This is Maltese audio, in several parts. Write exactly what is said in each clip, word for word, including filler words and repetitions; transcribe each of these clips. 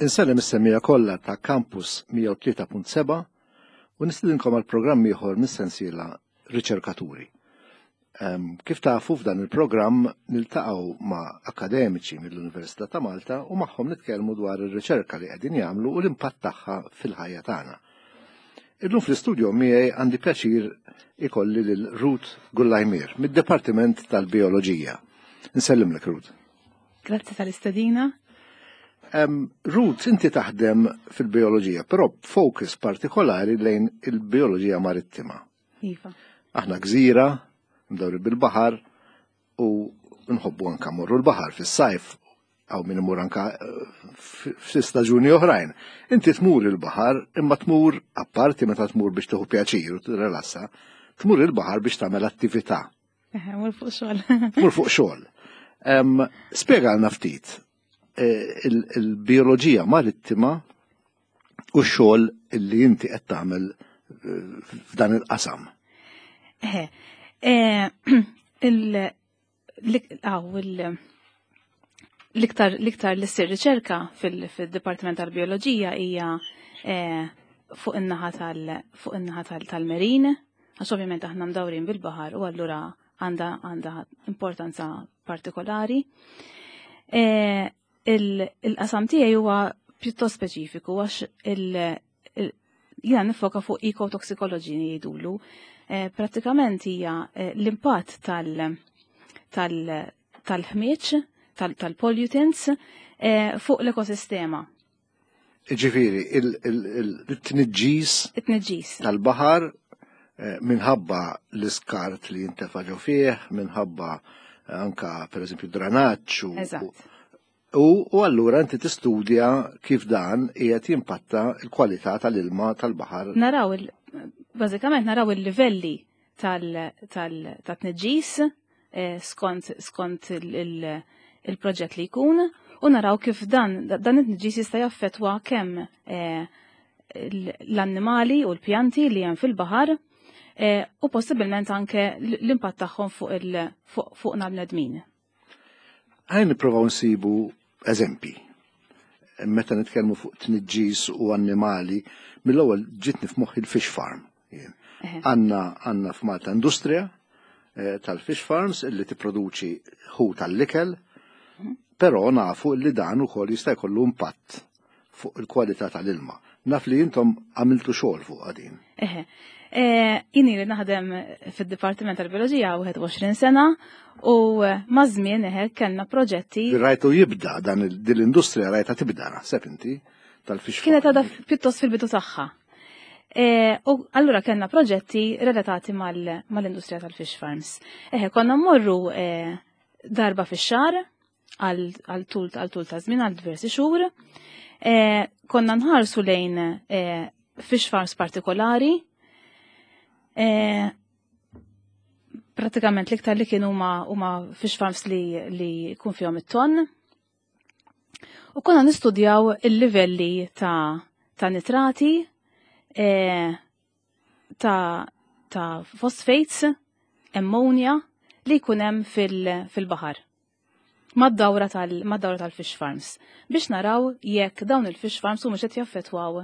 Insellem is-semmiegħa kollha ta' Campus mija u tlieta punt seba' u nistidinkom għal programm ieħor mis-sensiela Riċerkaturi. Em, kif tafu, f'dan il-programm niltaqgħu ma' akademiċi mill-Università ta' Malta u magħhom nitkellmu dwar ir-riċerka li qegħdin jagħmlu u l-impatt tagħha fil-ħajja tagħna. Illum fl-istudio miegħi għandi pjaċir ikolli lil Ruth Gullajmir mid-Dipartiment tal-Bioloġija. Nsellimlek, Ruth. Grazzi tal-istedina. Um, Ruth, inti taħdem fil-bioloġija, però focus partikolari lejn il-bioloġija marittima. Iva. Aħna gżira, mdawri bil-baħar, u nħobbu anka morru l-baħar fis-sajf, għaw min imur anka eh, f-staġuni oħrajn. Inti tmur il-baħar, imma tmur apparti meta tmur biex tieħu pjaċir u tirrelassa, tmur il-baħar biex tagħmel attività. Eħe, mur fuq xogħol. Tmur fuq xogħol. Em, Spjegalna ftit eh, il-bioloġija marittima u x-xogħol li inti qed tagħmel eh, f'dan il-qasam. Eħe, eh, il- l- il- l-iktar l-iktar li ssir riċerka fil-Dipartiment tal-Bioloġija hija fuq in-naħa tal fuq in-naħa tal-marine, għax ovvjament aħna mdawrin bil-baħar u allura għandha għandha importanza partikolari. Il-qasam tiegħi huwa pjuttost speċifiku għax jiena nifoka fuq ecotoxicology jgħidulu. Prattikament hija l-impatt tal-ħmieġ, tal-pollutants fuq l-ekosistema. Ġifieri, il-tniġġis It-tniġġis. tal-baħar minħabba l-iskart li jintefa' ġo fih, minħabba anka per eżempju dranaġġ u Eżatt. U allura inti tistudja kif dan qiegħed jimpatta l-kwalità tal-ilma tal-baħar. Naraw il bażikament naraw il-livelli tal-tniġġis skont skont il-proġett li jkun u naraw kif dan dan it-tniġġis jista' jaffettwa kemm l-annimali u l-pjanti li hemm fil-baħar u possibilment anke l-impatt tagħhom fuq fuqna bnedmin. Ħa nippruvaw nsibu eżempi. Meta nitkellmu fuq tniġġis u annimali, mill-ewwel ġitni f'moħħi il-fish farm. Għandna għandna f'Malta industrija tal-fish farms illi tipproduċi ħut tal-ikel, però nafu li dan ukoll jista' jkollu impatt fuq il-kwalità tal-ilma. Naf li intom għamiltu xogħol fuq din. Eħe. Jien ili naħdem fid-Dipartiment tal-Bioloġija wieħed u għoxrin sena u maż-żmien eħe kellna proġetti. Rajtu jibda dan l-industrija, rajta tibda, naħseb inti, tal-fish Kienet għadha pjuttost fil-bidu tagħha. U allura kellna proġetti relatati mal-industrija tal-fish farms. Eħe, konna mmorru darba fix-xahar għal tul ta' żmien, għal diversi xhur. Konna nħarsu lejn fish farms partikolari. Pratikament l-iktar li kienu huma fish farms li li jkun fihom it-ton. U konna nistudjaw il-livelli ta' ta' nitrati, ta' ta' phosphates, ammonia li jkun hemm fil-baħar. Mad-dawra tal-mad-dawra tal-fish farms biex naraw jekk dawn il-fish farms humiex qed jaffettwaw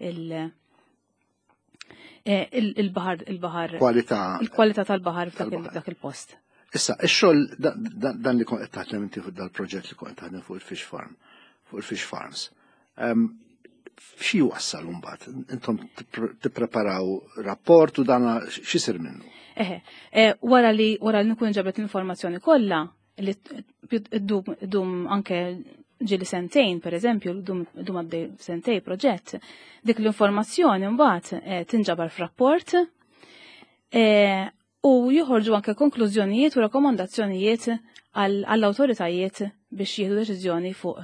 il- il-baħar il-baħar Kwalità il-kwalità tal-baħar f'dak il-post. Issa, ix-xogħol dan li kont qed taħdem inti fuq dal-proġett li kont taħdem fuq il-fish farm, fuq il-fish farms. Xi wassal mbagħad? Intom tippreparaw rapport u dana x'isir minnu? Eħe, wara li wara li nkun ġabret l-informazzjoni kollha li ddum anke ġieli sentejn, per eżempju, dum għaddej sentejn proġett, dik l-informazzjoni mbagħad tinġabar f'rapport u joħorġu anke konklużjonijiet u rakkomandazzjonijiet għall-awtoritajiet biex jieħdu deċiżjoni fuq,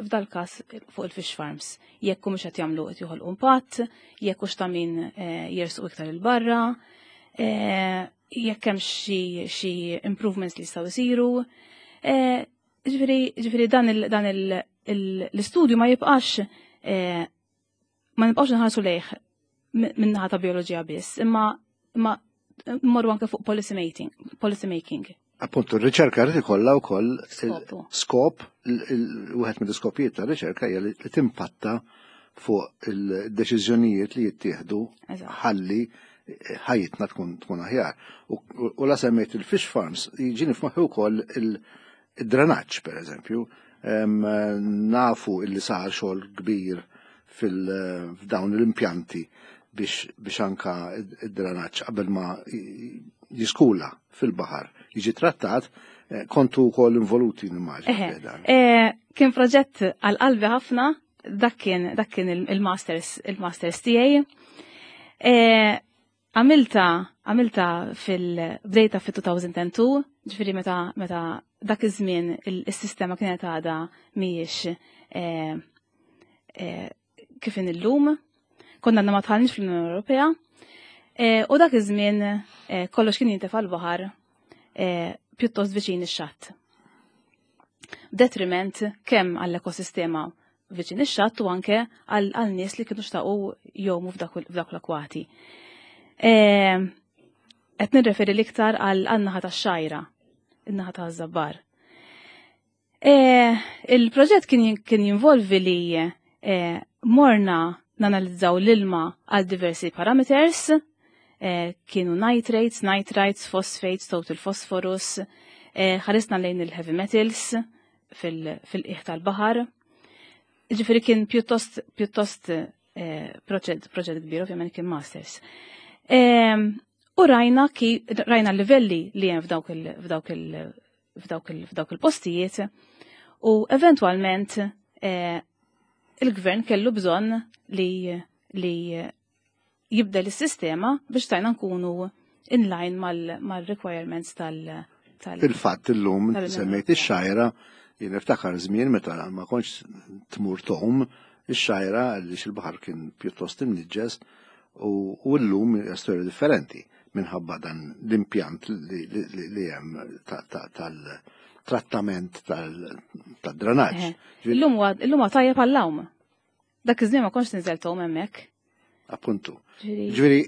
f'dal każ, fuq il-fish farms. Jekk mhux qed jagħmlu qed joħolqu impatt, jekk hux ta' min jersqu iktar il-barra, jekk hemm xi improvements li jistgħu jsiru. Ġifieri ġifieri dan l-istudju ma jibqax, ma nibqax nħarsu lejh min-naħa ta' bioloġija biss, imma imma mmorru anke fuq policy making. Policy making. Appuntu, r-riċerka rrid ikollha wkoll skop, wieħed mill-iskopijiet tar-riċerka hija li timpatta fuq il-deċiżjonijiet li jittieħdu ħalli ħajjitna tkun tkun aħjar. U la semmejt il-fish farms, jiġini f'moħħi wkoll il-drenaġġ, per eżempju. Nafu illi sar xogħol kbir f'dawn l-impjanti biex biex anka id-drenaġġ qabel ma jiskula fil-baħar jiġi trattat, eh, kontu wkoll involuti, nimmaġina. Eh, kien proġett għal qalbi ħafna, dak kien dak kien il-masters il-masters tiegħi. Eh, għamilta għamilta fil-bdejta fil-elfejn u tnejn, ġifieri meta meta dak iż-żmien il-sistema kienet għadha mhijiex kif illum, konna għadna ma dħalniex fl-Unjoni Ewropea, u dak iż-żmien kollox kien jintefa' l-baħar pjuttost viċin ix-xatt. Detriment kemm għall-ekosistema viċin ix-xatt u anke għal nies li kienu xtaqu jgħumu f'dak l-akwati. Qed nirreferi l-iktar għal naħa tax-Xgħajra, in-naħa taż-Żabbar. Il-proġett kien jinvolvi li morna nanalizzaw l-ilma għal diversi parameters, kienu nitrates, nitrites, phosphates, total phosphorus, ħarisna lejn il-heavy metals fil-qiegħ tal-baħar. Ġifieri kien pjuttost pjuttost proġett proġett kbir, ovvjament kien masters. U rajna ki rajna livelli li hemm f'dawk il f'dawk il f'dawk il f'dawk il-postijiet u eventwalment il-gvern kellu bżonn li li jibdel is-sistema biex stajna nkunu in line mal-requirements tal- Fil-fatt illum semmejt ix-Xgħajra, jien niftakar żmien meta ma kontx tmur tgħum ix-Xgħajra għaliex il-baħar kien pjuttost imniġġes u llum hija storja differenti minħabba dan l-impjant li hemm tal-trattament tad-drenaġġ. Illum huwa tajjeb għall-għawm. Dak iż-żmien ma kontx tinżel tgħum hemmhekk. Appuntu. Ġifieri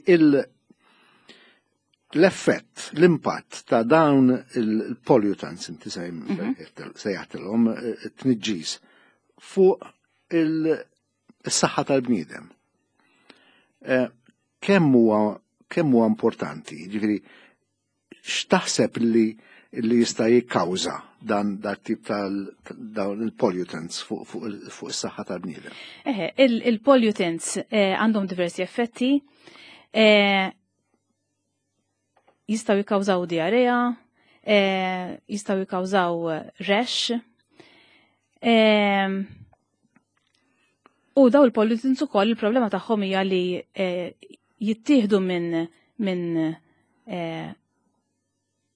l-effett, l-impatt ta' dawn il-pollutants, inti sejjaħtilhom, it-tniġġis fuq il-saħħa tal-bniedem. Kemm huwa kemm huwa importanti, ġifieri x'taħseb li li jista' jikkawża dan dat tip tal dawn il-pollutants fuq is-saħħa tal-bniedem? Eħe, il-pollutants għandhom diversi effetti. Jistgħu jikkawżaw diarrea, jistgħu jikkawżaw rash. U daw il-pollutants ukoll il-problema tagħhom hija li jittieħdu minn minn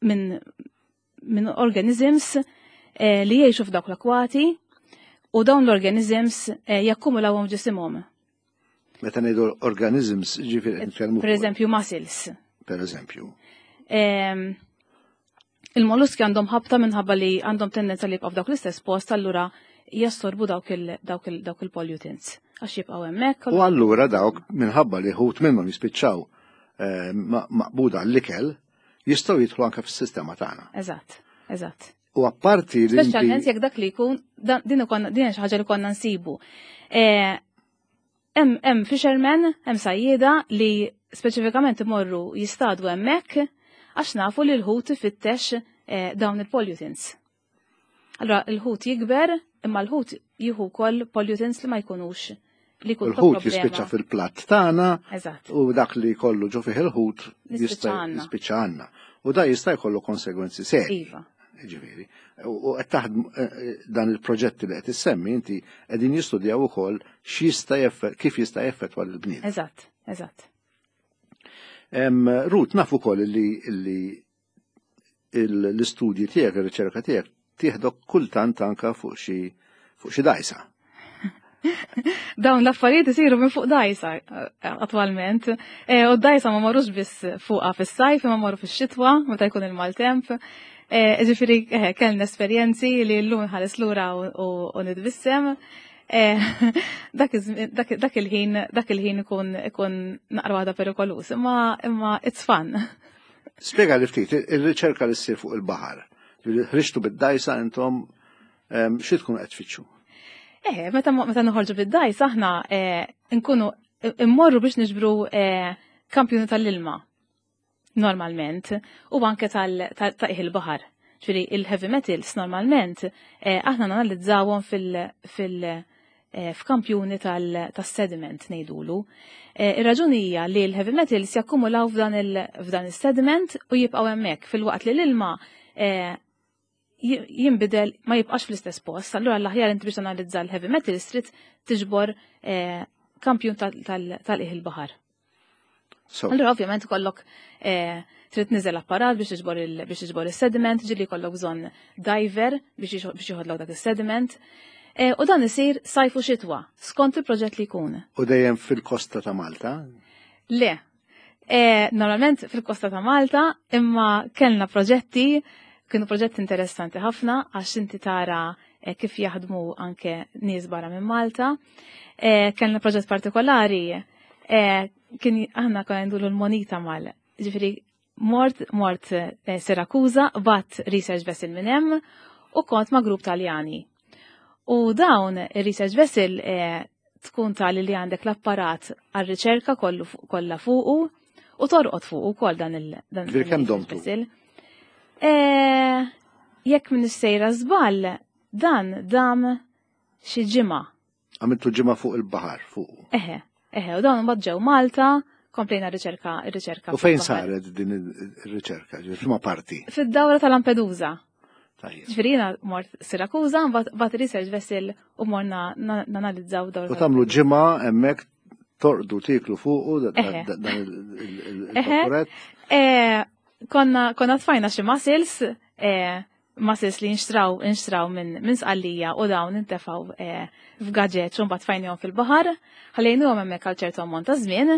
minn minn organisms li jgħixu f'dawk l-akwati u dawn l-organisms jakkumulawhom ġisimhom. Meta ngħidu organisms, ġifieri nitkellmu. Per eżempju, mussels. Per eżempju. Il-molluski għandhom ħabta minħabba li għandhom tendenza li jibqgħu f'dawk l-istess post, allura jassorbu dawk il-pollutants għax jibqgħu hemmhekk. U allura dawk minħabba li ħut minnhom jispiċċaw maqbuda l-ikel jistgħu jidħlu anke fis-sistema tagħna. Eżatt, eżatt. U apparti li. Speċjalment jekk dak li jkun din din xi ħaġa li konna nsibu. Hemm fishermen, hemm sajjieda li speċifikament imorru jistadu hemmhekk għax nafu li l-ħut ifittex dawn il-pollutants. Allora l-ħut jikber, imma l-ħut jieħu wkoll pollutants li ma jkunux li jkun Il-ħut jispiċċa fil-platt tagħna u dak li jkollu ġo fih il-ħut jista' jispiċċa għandna. U da jista' jkollu konsegwenzi serji. Iva. Ġifieri. U qed taħdem dan il-proġetti li qed issemmi inti qegħdin jistudjaw ukoll x'jista' kif jista' jeffettwa lill-bniedem. Eżatt, eżatt. Ruth, naf ukoll li l-istudji tiegħek, ir-riċerka tiegħek tieħdok kultant anka fuq xi fuq xi dgħajsa. Dawn l-affarijiet isiru minn fuq dgħajsa attwalment. U d-dgħajsa ma marrux biss fuqha fis-sajf, imma marru fix-xitwa meta jkun il-maltemp. Ġifieri kellna esperjenzi li llum nħares lura u nitbissem. Dak il-ħin dak il-ħin ikun ikun naqra waħda perikolus, imma imma it's fun. Spjega li ftit, ir-riċerka li ssir fuq il-baħar. Ħriġtu bid-dajsa intom xi tkun qed tfittxu? Eh, meta meta noħorġu bid-dajsa aħna eh, nkunu immorru biex niġbru eh, kampjuni tal-ilma normalment u anke tal il-baħar. Ġifieri il-heavy metals normalment eh, aħna nanalizzawhom fil- fil- eh, f'kampjuni tas-sediment ngħidulu. Eh, ir-raġuni hija li l-heavy metals jakkumulaw f'dan is-sediment u jibqgħu hemmhekk fil-waqt li l-ilma jinbidel ma jibqax fl-istess post. Allura l-aħjar inti biex tanalizza l-heavy metals trid tiġbor kampjun tal-qiegħ il-baħar. Allura ovvjament kollok trid niżel apparat biex tiġbor biex tiġbor is-sediment, ġieli jkollok bżonn diver biex joħodlok dak is-sediment. U dan isir sajf u xitwa, skont il-proġett li jkun. U dejjem fil-kosta ta' Malta? Le. Normalment fil-kosta ta' Malta, imma kellna proġetti, kienu proġetti interessanti ħafna għax inti tara kif jaħdmu anke nies barra minn Malta. Kellna proġett partikolari, kien aħna konna ndulu l-monita mal. Ġifieri mort mort Sirakuza, bat research vessel minn hemm u kont ma' grupp Taljani. U dawn il-research vessel tkun tali li għandek l-apparat għal-riċerka kollha fuqu u torqod fuqu wkoll dan il- dan il vessel. Jekk minn sejra żball, dan dam xi ġimgħa. Għamiltu ġimgħa fuq il-baħar fuq. Eħe, eħe, u dawn imbagħad ġew Malta, komplejna r-riċerka, ir-riċerka. U fejn saret din ir-riċerka? F'liema parti? Fid-dawra ta' Lampedusa. Ġifieri jiena mort Sirakuza, mbagħad research vessel u morna nanalizzaw dawra. U tagħmlu ġimgħa hemmhekk torqdu tieklu fuqu dan il-vaporet? Konna konna tfajna xi mussels, mussels li nxtraw nxtraw minn Sqallija u dawn intefgħu f'gaġeġ u mbagħad tfajnihom fil-baħar, ħallejnuhom hemmhekk għal ċertu ammont ta' żmien.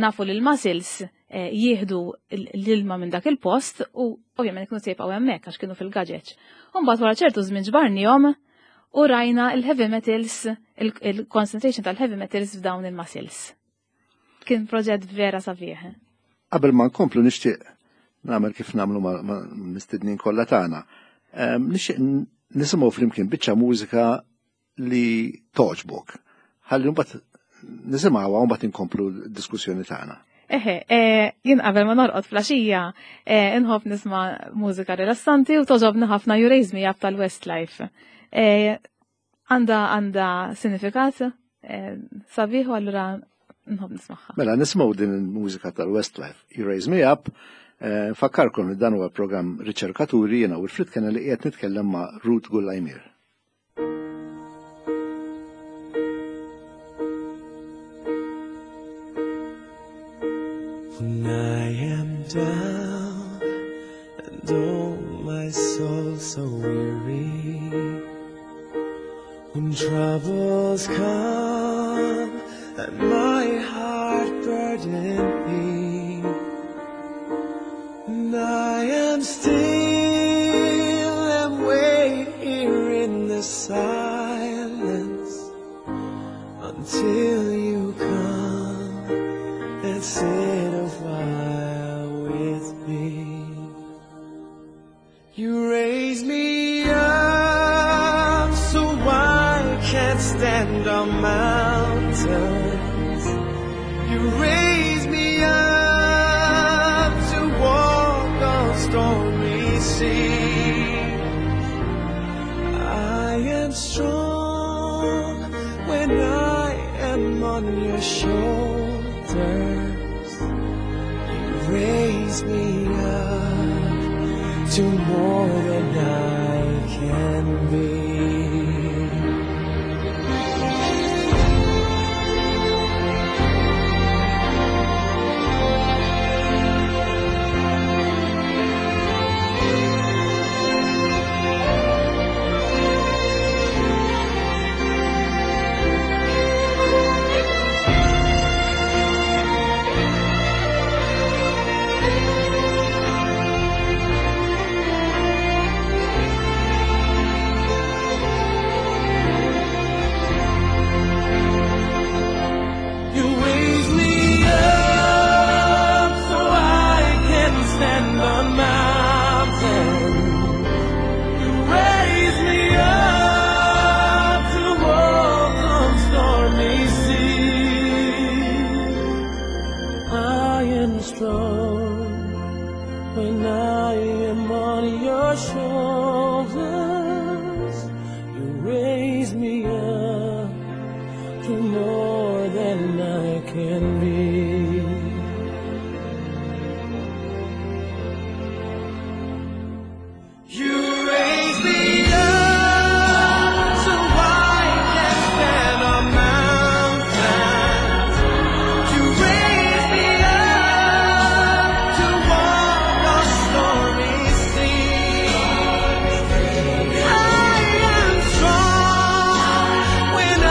Nafu li l-mussels jieħdu l-ilma minn dak il-post u ovvjament kienu se jibqgħu hemmhekk għax kienu fil-gaġeġ. U mbagħad wara ċertu żmien ġbarnihom u rajna il-heavy metals, il-concentration tal-heavy metals f'dawn il-mussels. Kien proġett vera sabiħ. Qabel ma nkomplu nixtieq nagħmel kif nagħmlu ma' mistednin kollha tagħna. Nixtieq nisimgħu flimkien biċċa mużika li toġbok. Ħalli mbagħad nisimgħuha u mbagħad inkomplu d-diskussjoni tagħna. Eħe, jien qabel ma norqod flaxija, inħobb nisma' mużika rilassanti u toġobni ħafna You Raise Me Up tal-Westlife. Għandha għandha sinifikat sabiħ u allura nħobb nismagħha. Mela nisimgħu din il-mużika tal-Westlife, You Raise Me Up. Nfakkarkom li dan huwa programm Riċerkaturi, jiena Wilfred Kennelly qiegħed nitkellem ma' Ruth Gullaimier. When I am down and oh my soul so weary, when troubles come and my heart burden me, and I am still and wait here in the silence until you come and sit a while with me. You raise me up so I can't stand on mountains. You raise me up to walk on stormy seas. I am strong when I am on your shoulders. You raise me up to more than I can be. can be. You raise me up so I can stand on mountains. You raise me up to walk on stormy seas. I am strong when I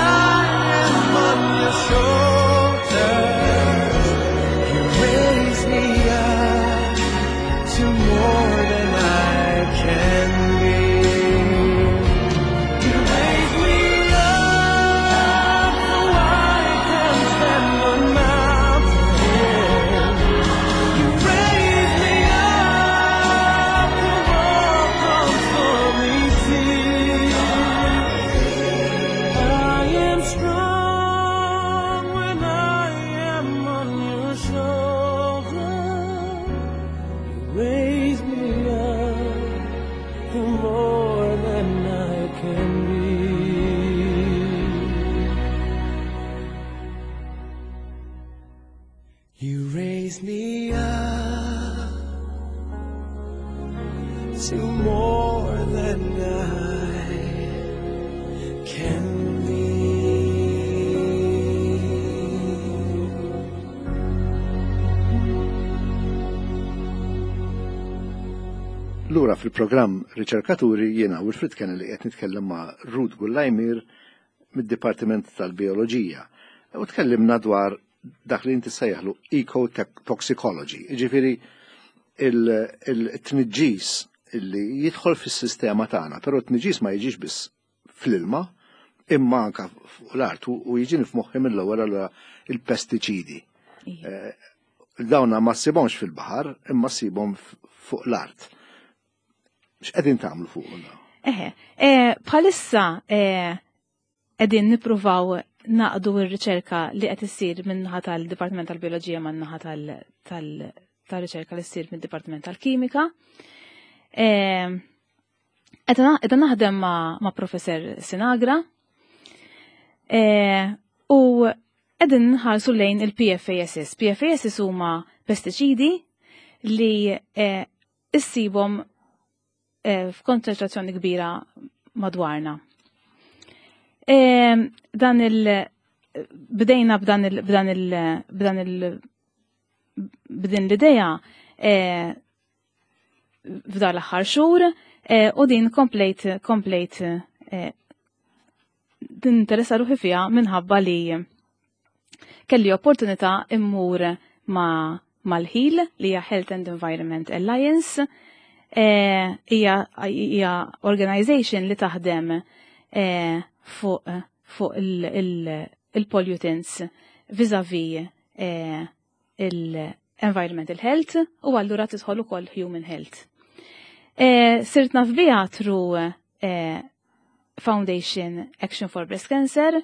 am on your shoulders. You raise me up to more than I can be. You raise me up so I can stand on mountains. You raise me up to walk on stormy seas. I am strong when I am on your shoulders. You raise me up to more than I can be. You raise me up to more than I can be. Lura fil-programm Riċerkaturi jiena Wilfred Kennelly qed nitkellem ma' Ruth Gullajmir mid-Dipartiment tal-Bioloġija. U tkellimna dwar dak li inti sejjaħlu ecotoxicology, jiġifieri il-tniġġis illi jidħol fis-sistema tagħna, però t-tniġġis ma jiġix biss fl-ilma, imma anka fuq l-art u jiġini f'moħħi mill-ewwel allura il-pestiċidi. Ija. Dawna ma ssibhomx fil-baħar, imma ssibhom fuq l-art. X'qegħdin tagħmlu fuq dawn? Eħe, eh, bħalissa, eh, qegħdin nippruvaw naqdu r-riċerka li qed issir min-naħa tal-Dipartiment tal-Bioloġija man-naħa tal-, tal-, tal-riċerka li ssir mid-Dipartiment tal-Kimika. Eh, Qed naħdem ma', ma' Professor Sinagra. Eh, u qegħdin nħarsu lejn il-P F A S. P F A S huma pestiċidi li, eh, issibhom, eh, f'konċentrazzjoni kbira madwarna. Eh, dan il bdejna b'dan il b'dan il b'dan il b'din l-idea, eh, f'dan l-aħħar xhur, eh, u din komplejt, komplejt, eh, tinteressa ruħi fiha minħabba li kelli opportunità immur ma' mal-HEAL, li hija Health and Environment Alliance. Eh, hija, hija organization li taħdem, eh, fuq, fuq il-, il-, il-pollutants vis-a-vis, eh, il-environmental health u allura tidħol ukoll human health. Eh, sirt naf biha through, eh, Foundation Action for Breast Cancer.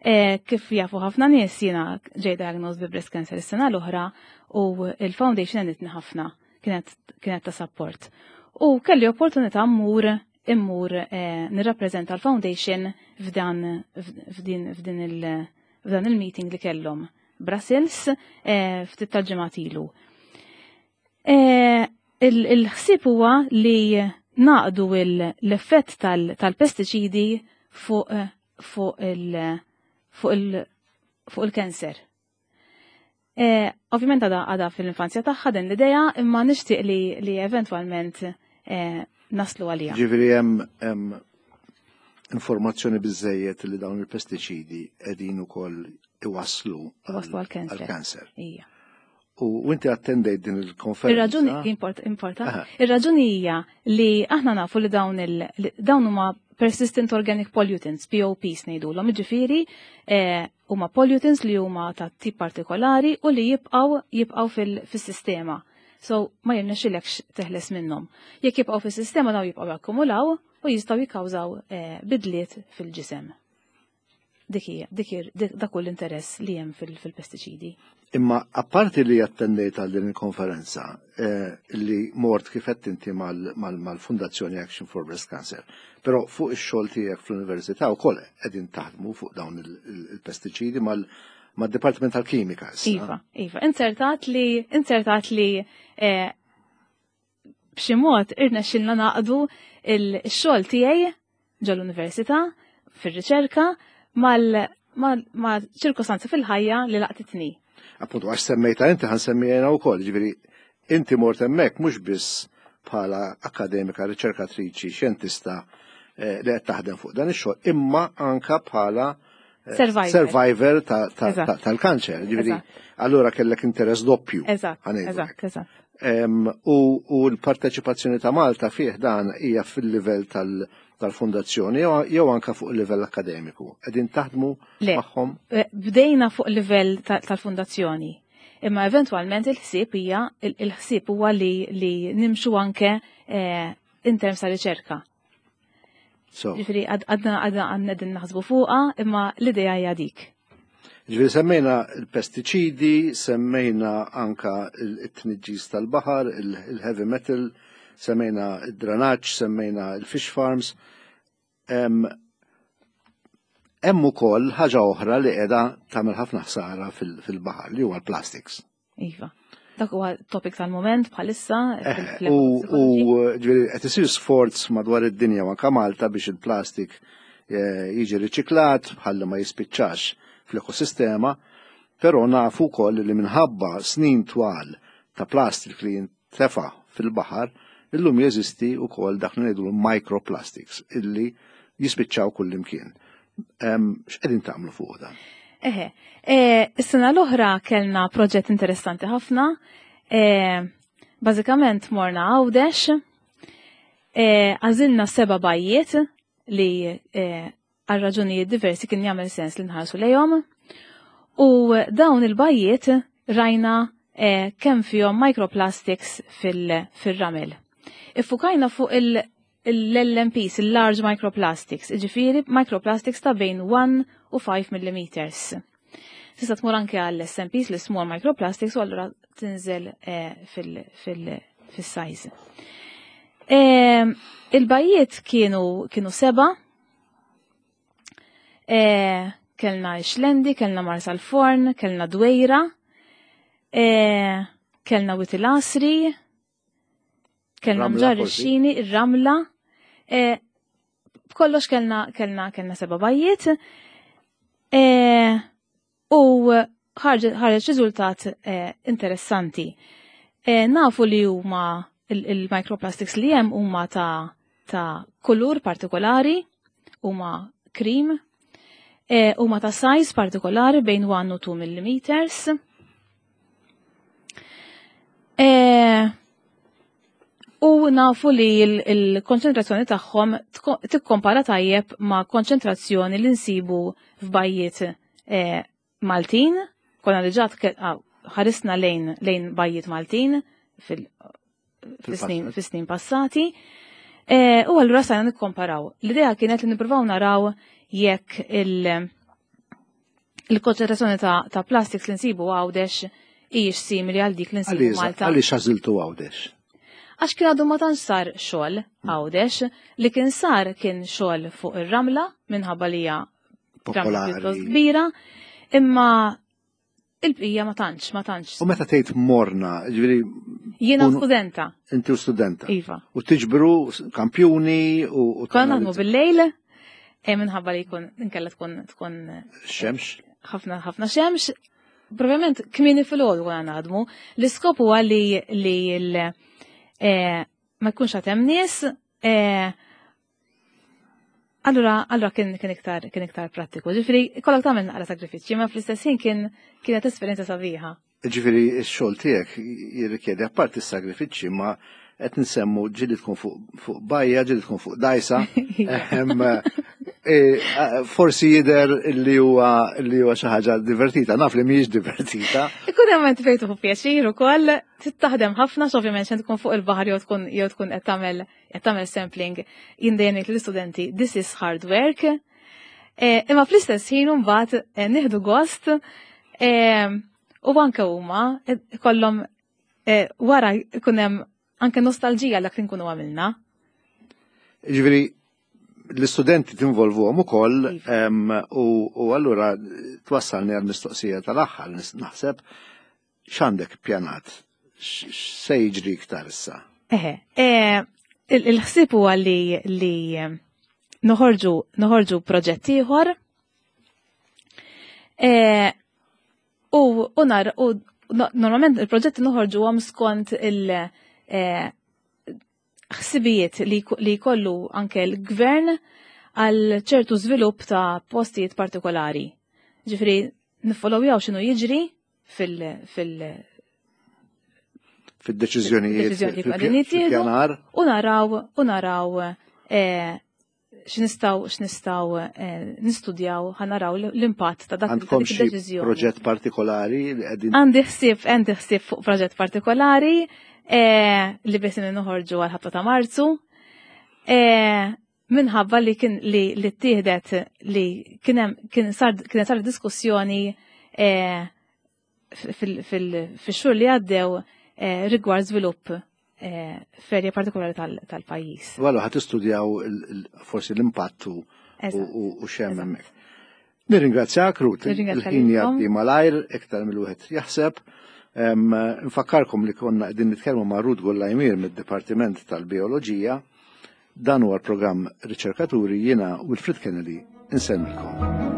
Eh, kif jafu ħafna nies, jiena ġej diagnosed bi breast cancer is-sena l-oħra u il-foundation għenitni ħafna, kienet, kienet ta' support. U kelli opportunità mmur, immur, eh, nirrappreżenta l-foundation f'dan, f'din, f'din il, f'dan il-meeting li kellhom Brussels, eh, ftit tal-ġimgħat ilu. Eh, il-, il-ħsieb huwa li naqdu il-, l-effett tal-, tal-pestiċidi fuq, fuq il-, fuq il-, fuq il-kanser. Eh, ovvjament għada, għada fil-infanzja tagħha din l-idea, imma nixtieq li, li eventwalment, eh, naslu għalija. Ġifieri hemm, hemm informazzjoni biżejjed li dawn il-pestiċidi qegħdin ukoll iwasslu Iwasslu għall-kanser. għall-kanser. Ija. U inti attendejt din il-konferenza. Ir-raġuni import, importa. Aha. Ir-raġuni hija li aħna nafu li dawn il, li dawn huma persistent organic pollutants, P O Ps ngħidulhom, jiġifieri, eh, huma pollutants li huma ta' tip partikolari u li jibqgħu, jibqgħu fil-, fis-sistema. So ma jirnexxilekx teħles minnhom. Jekk jibqgħu fis-sistema dawn jibqgħu jakkumulaw u jistgħu jikkawżaw, eh, bidliet fil-ġisem. Dik hija, dik hi, dik, dak hu l-interess li hemm fil-, fil-pestiċidi. Imma apparti li attendejt għal din il-konferenza, eh, li mort kif qed inti mal-, mal-, mal-Fundazzjoni Action for Breast Cancer, però fuq ix-xogħol tiegħek fl-università wkoll qegħdin taħdmu fuq dawn il-, il-, il-pestiċidi mal-, mad-Dipartiment tal-Kimika. Iva, iva. Inzertat li, inzertat li eh, b'xi mod irnexxilna naqdu il-xogħol tiegħi ġol-università fir-riċerka mal ma' ċirkostanza fil-ħajja li laqtitni. Appuntu, għax semmejta inti ħa nsemmija wkoll, ġifieri inti mort hemmhekk mhux biss bħala akademika, riċerkatriċi, xjentista eh, li qed taħdem fuq dan ix-xogħol, imma anka bħala eh, survivor, survivor tal-kanċer. Ġifieri, allura kellek interess doppju. Eżatt, eżatt, eżatt. U l-parteċipazzjoni ta' Malta fih dan hija fil-livell tal- tal-fondazzjoni jew anka fuq il-livell akademiku. Qegħdin taħdmu magħhom? Eh, bdejna fuq livell tal-fondazzjoni. Imma eventwalment il-ħsieb hija il-ħsieb huwa li, li nimxu anke eh, in terms ta' riċerka. Ġifieri għadna għadna għandna naħsbu fuqha, imma l-idea hija dik. Ġifieri semmejna il-pestiċidi, semmejna anka il-tniġġis tal-baħar, il-heavy metal, semmejna id-dranaġġ, semmejna il-fish farms. Hemm ukoll ħaġa oħra li qiegħda tagħmel ħafna ħsara fil-baħar li huwa l-plastics. Iva. Dak huwa topic tal-moment bħalissa. Eh, u ġifieri qed isir sforz madwar id-dinja u anke Malta biex il-plastik eh, jiġi riċiklat bħalli ma jispiċċax fl-ekosistema, però nafu wkoll li minħabba snin twal ta' plastik li jintefa' fil-baħar, illum jeżisti wkoll dak li ngħidu microplastics illi jispiċċaw kullimkien. X'qegħdin tagħmlu fuq dan? Eħe, e, is-sena l-oħra kellna proġett interessanti ħafna. E, bażikament morna Għawdex, e, għażilna seba' bajjiet li għal raġunijiet diversi kien jagħmel sens li nħarsu lejhom. U dawn il-bajjiet rajna kemm fihom microplastics fil-ramel. Iffukajna fuq l-L M Ps, il-large microplastics, ġifieri microplastics ta' bejn wieħed u ħamsa millimetri. Tista' tmur anke għall S M Ps, l-small microplastics, u allura tinżel eh, fil-size. Eh, il-bajjiet kienu kienu seba', eh, kellna Xlendi, kellna Marsalforn, kellna Dwejra, kellna Wied il-Għasri, kellna Mġarr ix-Xini, ir-Ramla. B'kollox kellna kellna kellna seba' bajjiet. U ħareġ riżultat interessanti. Nafu li huma il-microplastics li hemm huma ta' ta' kulur partikolari, huma cream, huma ta' size partikolari bejn wieħed u tnejn millimeters. E, u nafu li il-konċentrazzjoni tagħhom tikkompara tajjeb ma' konċentrazzjoni li nsibu f'bajjiet e, Maltin, konna diġà ħarisna lejn lejn bajjiet Maltin fil-snin passati. E, u allura stajna nikkomparaw. L-idea kienet li nippruvaw naraw jekk il- il-konċentrazzjoni ta', ta' plastics li nsibu Għawdex hijiex simili għal dik li nsibu Malta. Għaliex għażiltu Għawdex? Għax kien għadu ma tantx sar xogħol Għawdex, li kien sar kien xogħol fuq ir-ramla minħabba li hija popolari kbira, imma il-bqija ma tantx, ma tantx. U meta tgħid morna, ġifieri Jiena studenta. Inti u studenta. Iva. U tiġbru kampjuni u Konna naħdmu bil-lejl, e minħabba li jkun inkella tkun tkun xemx. Ħafna ħafna xemx. Probabilment kmieni fil-għodu konna naħdmu. L-iskop huwa li li l- eh, ma jkunx għad hemm nies, eh, Allura, allura kien kien iktar kien iktar prattiku. Ġifieri kollok tagħmel naqra sagrifiċċji, ma fl-istess ħin kien kienet esperjenza sabiħa. Ġifieri x-xogħol tiegħek jirrikjedi apparti s-sagrifiċċji, ma qed nsemmu ġieli tkun fuq fuq bajja, ġieli tkun fuq dajsa. Ehem, e, forsi jidher li huwa li huwa xi ħaġa divertita, naf li mhijiex divertita. Ikun hemm int fejn tieħu pjaċir ukoll, taħdem ħafna, ovvjament xejn tkun fuq il-baħar jew tkun jew tkun qed tagħmel qed tagħmel sampling, jien dejjem ngħid lill-istudenti, "This is hard work." E, imma fl-istess ħin mbagħad e, nieħdu gost e, u anke huma kollhom wara jkun hemm anke nostalġija dak li nkunu għamilna. Ġifieri L-istudenti tinvolvuhom ukoll Iva. em, u u allura twassalni għal mistoqsija tal-aħħar, nis- naħseb x'għandek pjanat? X'se jiġri iktar issa? Eħe, eh, il- il-ħsieb huwa li li noħorġu noħorġu proġett ieħor eh, u u nar u no- normalment il-proġetti noħorġuhom skont il- eh, ħsibijiet li li jkollu anke l-gvern għal ċertu żvilupp ta' postijiet partikolari. Ġifieri niffollowjaw x'inhu jiġri fil fil Fid-deċiżjonijiet, Deċiżjonijiet fil- qegħdin jittieħdu. fil-pjanar? U naraw u naraw eh, x'nistgħu x'nistgħu eh, nistudjaw, ħa naraw l-impatt ta' dak ta' Għandkom dik xi id-deċiżjoni. proġett partikolari li qegħdin Għandi ħsieb għandi ħsieb fuq proġett partikolari eh, li biss noħorġu għal ħabta ta' Marzu. Eh, minħabba li kien li li ttieħdet li kien hemm kien sar kienet sar diskussjoni eh, fil- fil- fix-xhur li għaddew eh, rigward żvilupp eh, f'erja partikolari tal- tal-pajjiż. Wallu ħa tistudjaw il- il- forsi l-impattu u- Eżatt. u u x'hemm Eżatt. hemmhekk. Nirringrazzjak, Ruth, Nirringrazzja il-ħin lilkom. jgħaddi malajr iktar mill-wieħed jaħseb. Em, Nfakkarkom li konna qegħdin nitkellmu ma' Ruth Gullajmir mid-Dipartiment tal-Bioloġija. Dan huwa l-programm Riċerkaturi, jiena Wilfred Kennedy insellmilkom.